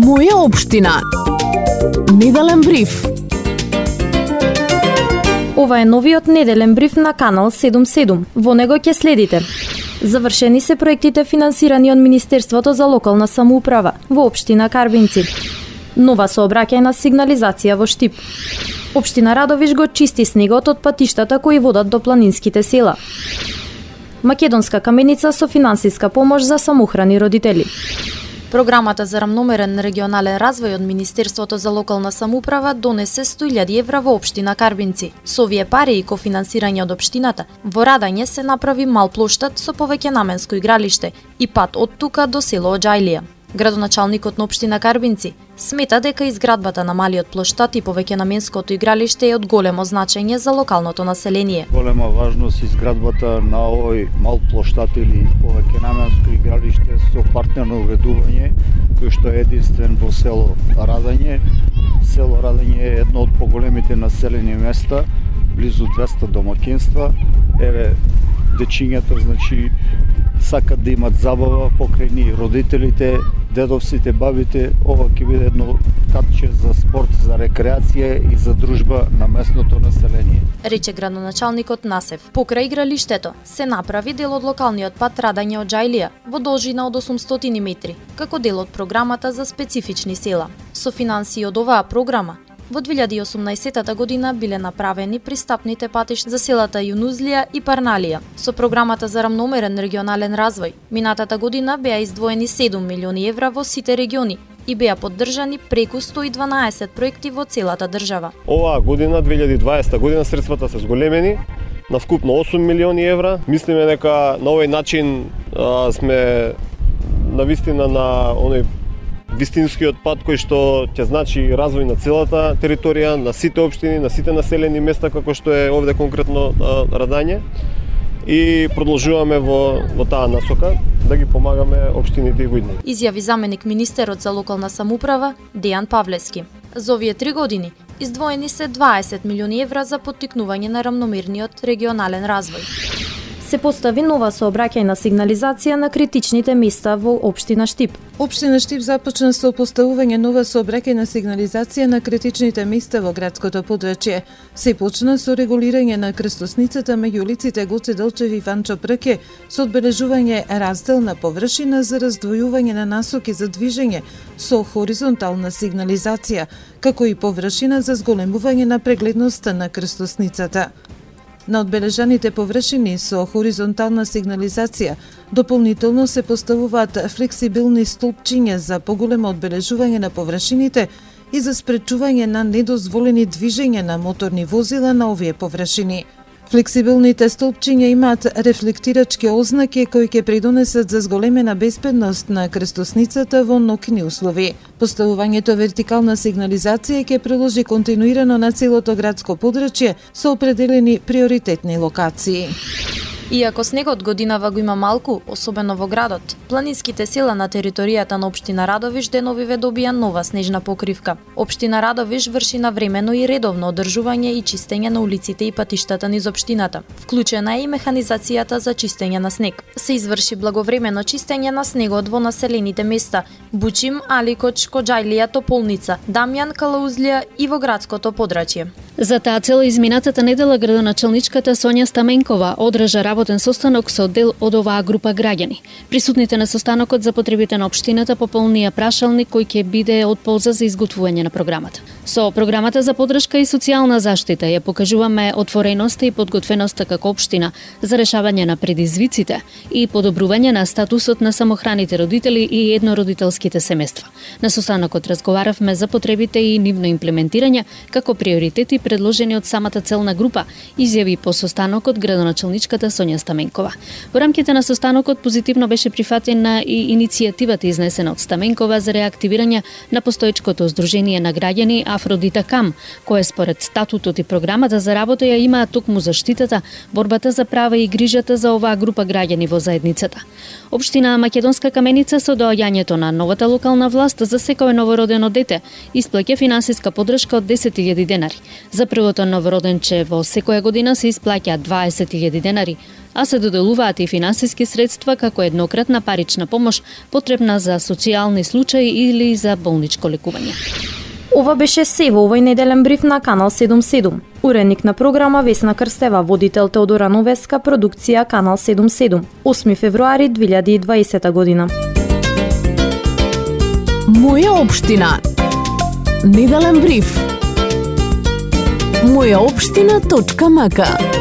Моја општина. Неделен бриф. Ова е новиот неделен бриф на Канал 77. Во него ќе следите: завршени се проектите финансирани од Министерството за локална самоуправа во општина Карбинци. Нова сообраќајна сигнализација во Штип. Општина Радовиш го чисти снегот од патиштата кои водат до планинските села. Македонска каменица со финансиска помош за самоухрани родители. Програмата за рамномерен регионален развој од Министерството за локална самоуправа донесе 100.000 евра во општина Карбинци. Со овие пари и кофинансирање од општината, во Радање се направи мал плоштад со повеќе наменско игралиште и пат од тука до село Оџајлија. Градоначалникот на општина Карбинци смета дека изградбата на малиот плоштад и повеќе наменското игралиште е од големо значење за локалното население. Голема важност изградбата на овој мал плоштад или повеќе наменско игралиште со партнерно уредување, кој што е единствен во село Радање. Село Радање е едно од поголемите населени места, близу 200 домакинства. Еве, дечињата, значи, сакат да имат забава покрај ни родителите, дедовците, бабите. Ова ќе биде едно катче за спорт, за рекреација и за дружба на местното население, рече градоначалникот Насев. Покрај игралиштето се направи дел од локалниот пат Радање Оџајлија во должина од 800 метри, како дел од програмата за специфични села. Со финансии од оваа програма во 2018 година биле направени пристапните патишта за селата Јунузлија и Парналија. Со програмата за рамномерен регионален развој, минатата година беа издвоени 7 милиони евра во сите региони и беа поддржани преку 112 проекти во целата држава. Оваа година, 2020 година, средствата се зголемени на вкупно 8 милиони евра. Мислиме дека на овој начин сме навистина на оној вистинскиот пат кој што ќе значи развој на целата територија, на сите општини, на сите населени места, како што е овде конкретно Радање, и продолжуваме во таа насока да ги помагаме општините и војни. Изјави заменик министерот за локална самоуправа Дејан Павлевски. За овие 3 години издвоени се 20 милиони евра за поттикнување на рамномерниот регионален развој. Се постави нова сообраќајна сигнализација на критичните места во општина Штип. Општина Штип започна со поставување нова сообраќајна сигнализација на критичните места во градското подрачје. Се почна со регулирање на крстосницата меѓу улиците Гоце Делчев и Ванчо Прке, со одбележување разделна површина за раздвојување на насоки за движење со хоризонтална сигнализација, како и површина за зголемување на прегледноста на крстосницата. На одбележаните површини со хоризонтална сигнализација дополнително се поставуваат флексибилни столпчиња за поголемо одбележување на површините и за спречување на недозволени движења на моторни возила на овие површини. Флексибилните столпчиња имаат рефлектирачки ознаки кои ќе придонесат за зголемена безбедност на крстосницата во ноќни услови. Поставувањето вертикална сигнализација ќе продолжи континуирано на целото градско подрачје со определени приоритетни локации. Иако снегот годинава го има малку, особено во градот, планинските села на територијата на општина Радовиш деновиве добија нова снежна покривка. Општина Радовиш врши навремено и редовно одржување и чистење на улиците и патиштата низ општината. Вклучена е и механизацијата за чистење на снег. Се изврши благовремено чистење на снегот во населените места Бучим, Аликоч, Оџајлија, Тополница, Дамјан, Калаузлија и во градското подрачје. За таа цел измината недела градоначалничката Сонја Стаменкова одржа работен состанок со дел од оваа група граѓани. Присутните на состанокот за потребите на општината пополнија прашалник кој ќе биде од полза за изготвување на програмата. Со програмата за поддршка и социјална заштита ја покажуваме отвореноста и подготвеноста како општина за решавање на предизвиците и подобрување на статусот на самохраните родители и еднородителските семејства. На состанокот разговаравме за потребите и нивно имплементирање како приоритети предложени од самата целна група, изјави по состанокот градоначалничката Сонја Стаменкова. Во рамките на состанокот позитивно беше прифатена и иницијативата изнесена од Стаменкова за реактивирање на постоечкото здружение на граѓани Афродита Кам, кое според статутот и програмата за работа ја имаат токму заштитата, борбата за права и грижата за оваа група граѓани во заедницата. Општина Македонска каменица со доаѓањето на новата локална власт за секое новородено дете исплаќа финансиска поддршка од 10.000 денари. За првото новороденче во секоја година се исплаќа 20.000 денари, а се доделуваат и финансиски средства како еднократна парична помош потребна за социјални случаи или за болничко лекување. Ова беше се во овој неделен бриф на Канал 77. Уредник на програма Весна Крстева, водител Теодора Новеска, продукција Канал 77. 8 февруари 2020 година. Моја општина. Неделен бриф. Мојаопштина.мк